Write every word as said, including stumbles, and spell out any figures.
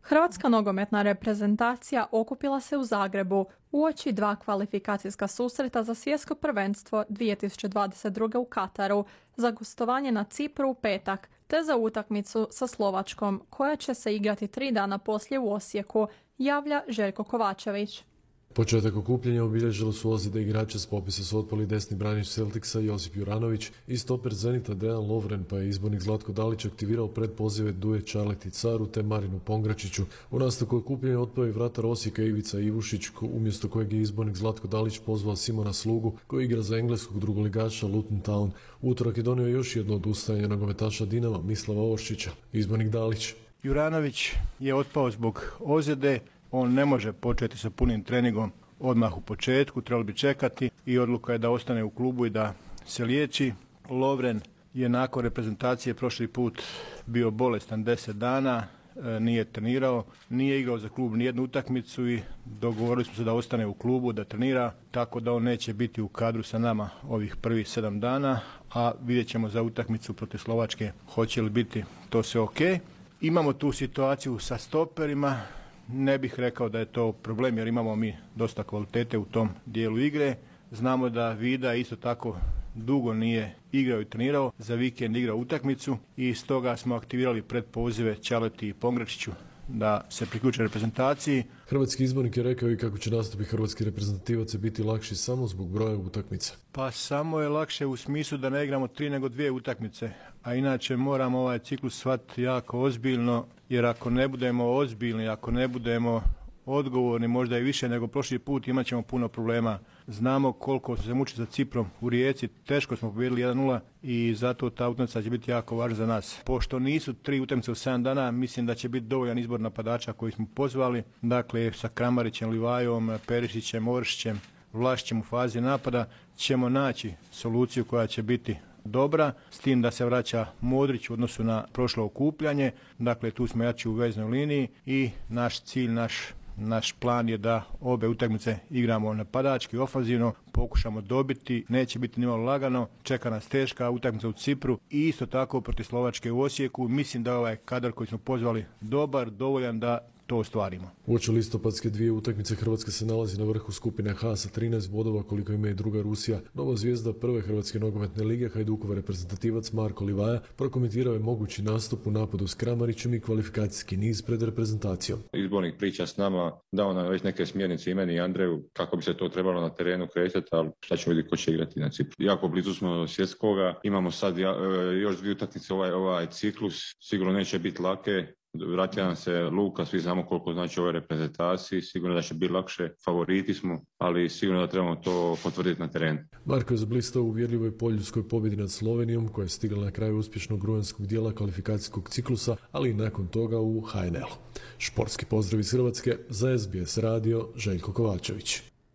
Hrvatska nogometna reprezentacija okupila se u Zagrebu uoči dva kvalifikacijska susreta za svjetsko prvenstvo dvije tisuće dvadeset druge. u Kataru, za gostovanje na Cipru u petak, te za utakmicu sa Slovačkom, koja će se igrati tri dana poslije u Osijeku, javlja Željko Kovačević. Početak okupljanja obilježilo su ozljede igrača. S popisa su otpali desni branič Celticsa Josip Juranović i stoper Zenita Dejan Lovren, pa je izbornik Zlatko Dalić aktivirao predpozive Duje Čarleti Caru te Marinu Pongračiću. U nastavku okupljanja otpao je vratar Osijeka Ivica Ivušić, umjesto kojeg je izbornik Zlatko Dalić pozvao Simona Slugu, koji igra za engleskog drugoligaša Luton Town. Utorak je donio još jedno odustajanje nogometaša Dinama Mislava Oršića. Izbornik Dalić: Juranović je otpao zbog ozljede. On ne može početi sa punim treningom odmah u početku, trebalo bi čekati i odluka je da ostane u klubu i da se liječi. Lovren je nakon reprezentacije prošli put bio bolestan deset dana, nije trenirao, nije igrao za klub nijednu utakmicu i dogovorili smo se da ostane u klubu, da trenira, tako da on neće biti u kadru sa nama ovih prvih sedam dana, a vidjet ćemo za utakmicu protiv Slovačke hoće li biti to sve ok. Imamo tu situaciju sa stoperima. Ne bih rekao da je to problem jer imamo mi dosta kvalitete u tom dijelu igre. Znamo da Vida isto tako dugo nije igrao i trenirao, za vikend igrao utakmicu i stoga smo aktivirali predpozive Čaleti i Pongračiću da se priključe reprezentaciji. Hrvatski izbornik je rekao i kako će nastupi hrvatski reprezentativaca biti lakši samo zbog broja utakmica. Pa samo je lakše u smislu da ne igramo tri nego dvije utakmice, a inače moramo ovaj ciklus shvatiti jako ozbiljno, jer ako ne budemo ozbiljni, ako ne budemo odgovorni, možda i više nego prošli put, imat ćemo puno problema. Znamo koliko se muči za Ciprom u Rijeci, teško smo pobijedili jedan nula i zato ta utakmica će biti jako važna za nas. Pošto nisu tri utakmice u sedam dana, mislim da će biti dovoljan izbor napadača koji smo pozvali, dakle sa Kramarićem, Livajom, Perišićem, Oršićem, Vlašićem u fazi napada ćemo naći soluciju koja će biti dobra, s tim da se vraća Modrić u odnosu na prošlo okupljanje, dakle tu smo jači u veznoj liniji i naš cilj, naš Naš plan je da obe utakmice igramo napadački, ofanzivno, pokušamo dobiti, neće biti nimalo lagano, čeka nas teška utakmica u Cipru i isto tako protiv Slovačke u Osijeku. Mislim da je ovaj kadar koji smo pozvali dobar, dovoljan da to ostvarimo. Uoči listopadske dvije utakmice Hrvatska se nalazi na vrhu skupine H sa trinaest bodova, koliko ima i druga Rusija. Nova zvijezda prve Hrvatske nogometne lige, Hajdukova reprezentativac Marko Livaja, prokomentirao je mogući nastup u napadu s Kramarićem i kvalifikacijski niz pred reprezentacijom. Izbornik priča s nama, dao nam već neke smjernice i meni i Andreju kako bi se to trebalo na terenu kretati, ali šta ćemo vidjeti ko će igrati na Cipru. Jako blizu smo svjetskoga, imamo sad još dvije utakmice ovaj, ovaj ciklus, sigurno neće biti lake. Vratio nam se Luka, svi znamo koliko znači ovoj reprezentaciji, sigurno da će biti lakše, favoriti smo, ali sigurno da trebamo to potvrditi na terenu. Marko je zablistao u uvjerljivoj poljskoj pobjedi nad Slovenijom, koja je stigla na kraju uspješnog rujanskog dijela kvalifikacijskog ciklusa, ali i nakon toga u H N L-u. Športski pozdrav iz Hrvatske, za S B S radio, Željko Kovačević.